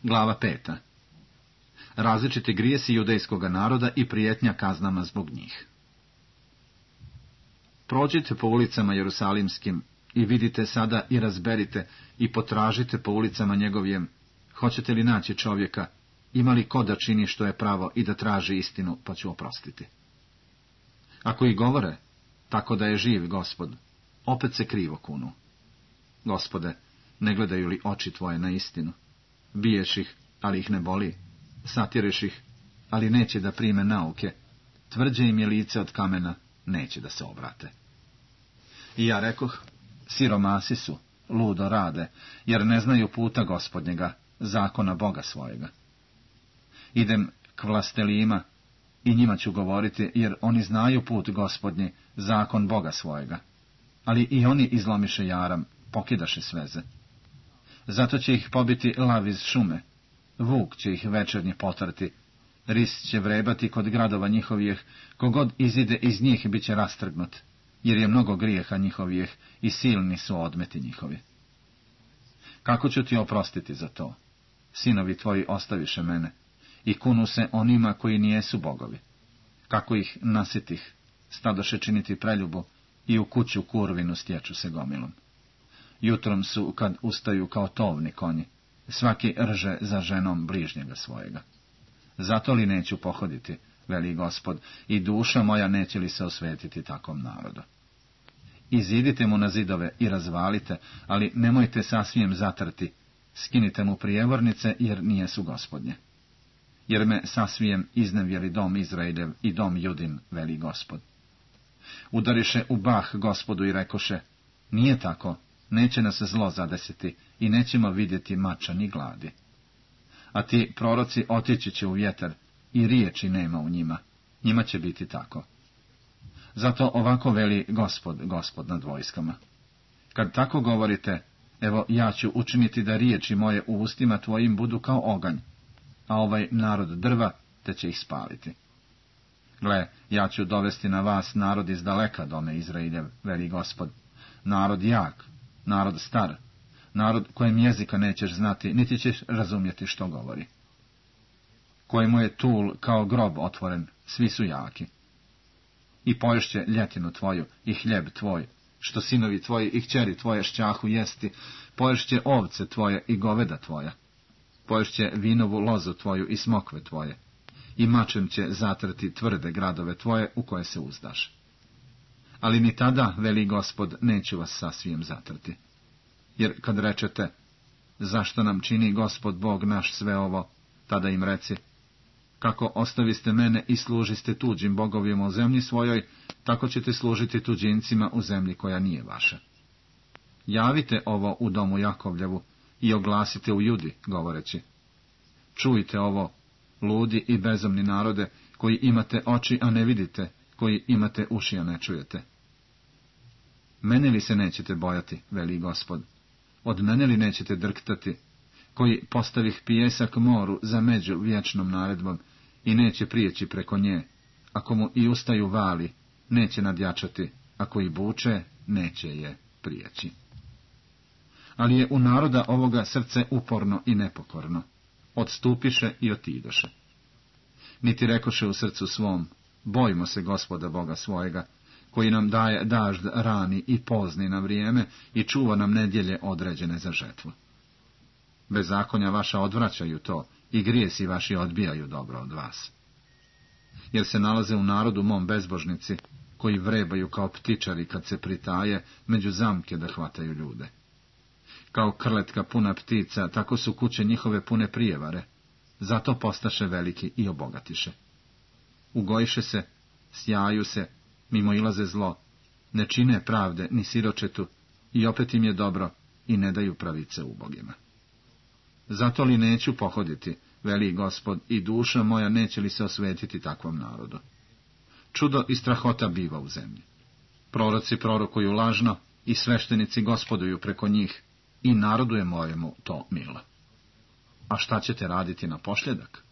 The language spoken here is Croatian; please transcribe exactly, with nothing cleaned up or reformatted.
Glava peta. Različiti grijesi judejskoga naroda i prijetnja kaznama zbog njih. Prođite po ulicama jerusalimskim i vidite sada i razberite i potražite po ulicama njegovim, hoćete li naći čovjeka, ima li ko da čini što je pravo i da traži istinu, pa ću oprostiti. Ako i govore, tako da je živ Gospod, opet se krivo kunu. Gospode, ne gledaju li oči tvoje na istinu? Biješ ih, ali ih ne boli, satireš ih, ali neće da prime nauke, tvrđe im je lice od kamena, neće da se obrate. I ja rekoh, siromasi su, ludo rade, jer ne znaju puta Gospodnjega, zakona Boga svojega. Idem k vlastelima i njima ću govoriti, jer oni znaju put Gospodnji, zakon Boga svojega. Ali i oni izlomiše jaram, pokidaše sveze. Zato će ih pobiti lav iz šume, vuk će ih večernje potrti, ris će vrebati kod gradova njihovih, kogod izide iz njih bit će rastrgnut, jer je mnogo grijeha njihovih i silni su odmeti njihovi. Kako ću ti oprostiti za to? Sinovi tvoji ostaviše mene i kunu se onima koji nijesu bogovi. Kako ih nasitih, stadoše činiti preljubu i u kuću kurvinu stječu se gomilom. Jutrom su, kad ustaju kao tovni konji, svaki rže za ženom bližnjega svojega. Zato li neću pohoditi, veli Gospod, i duša moja neće li se osvetiti takvom narodu. Izidite mu na zidove i razvalite, ali nemojte sasvijem zatrti, skinite mu prijevornice, jer nijesu Gospodnje. Jer me sasvijem iznevjeri dom Izraeljev i dom Judin, veli Gospod. Udariše u bah Gospodu i rekoše, nije tako, neće nas zlo zadesiti i nećemo vidjeti mača ni gladi. A ti proroci otići će u vjetar i riječi nema u njima, njima će biti tako. Zato ovako veli Gospod, Gospod nad vojskama. Kad tako govorite, evo ja ću učiniti da riječi moje u ustima tvojim budu kao oganj, a ovaj narod drva, te će ih spaliti. Gle, ja ću dovesti na vas narod iz daleka dome Izraeljev, veli Gospod, narod jak, narod star, narod kojem jezika nećeš znati, niti ćeš razumjeti što govori. Kojemu je tul kao grob otvoren, svi su jaki. I poješće ljetinu tvoju i hljeb tvoj, što sinovi tvoji i kćeri tvoje šćahu jesti, poješće ovce tvoje i goveda tvoja. Poješće vinovu lozu tvoju i smokve tvoje, i mačem će zatrti tvrde gradove tvoje u koje se uzdaš. Ali ni tada, veli Gospod, neću vas sasvijem zatrti. Jer kad rečete, zašto nam čini Gospod Bog naš sve ovo, tada im reci, kako ostaviste mene i služiste tuđim bogovima u zemlji svojoj, tako ćete služiti tuđincima u zemlji koja nije vaša. Javite ovo u domu Jakovljevu i oglasite u Judi, govoreći, čujte ovo, ludi i bezumni narode, koji imate oči, a ne vidite, koji imate uši, a ne čujete. Mene li se nećete bojati, veli Gospod, od mene li nećete drktati, koji postavih pijesak moru za među vječnom naredbom i neće prijeći preko nje, ako mu i ustaju vali, neće nadjačati, ako i buče, neće je prijeći. Ali je u naroda ovoga srce uporno i nepokorno, odstupiše i otidoše. Niti rekoše u srcu svom, bojmo se Gospoda Boga svojega, koji nam daje dažd rani i pozni na vrijeme i čuva nam nedjelje određene za žetvu. Bezakonja vaša odvraćaju to i grijesi vaši odbijaju dobro od vas. Jer se nalaze u narodu mom bezbožnici, koji vrebaju kao ptičari kad se pritaje među zamke da hvataju ljude. Kao krletka puna ptica, tako su kuće njihove pune prijevare, zato postaše veliki i obogatiše. Ugojiše se, sjaju se, mimo ilaze zlo, ne čine pravde ni siročetu, i opet im je dobro, i ne daju pravice ubogima. Zato li neću pohoditi, veli Gospod, i duša moja neće li se osvetiti takvom narodu? Čudo i strahota biva u zemlji. Proroci prorokuju lažno, i sveštenici gospoduju preko njih, i narodu je mojemu to milo. A šta ćete raditi na posljedak?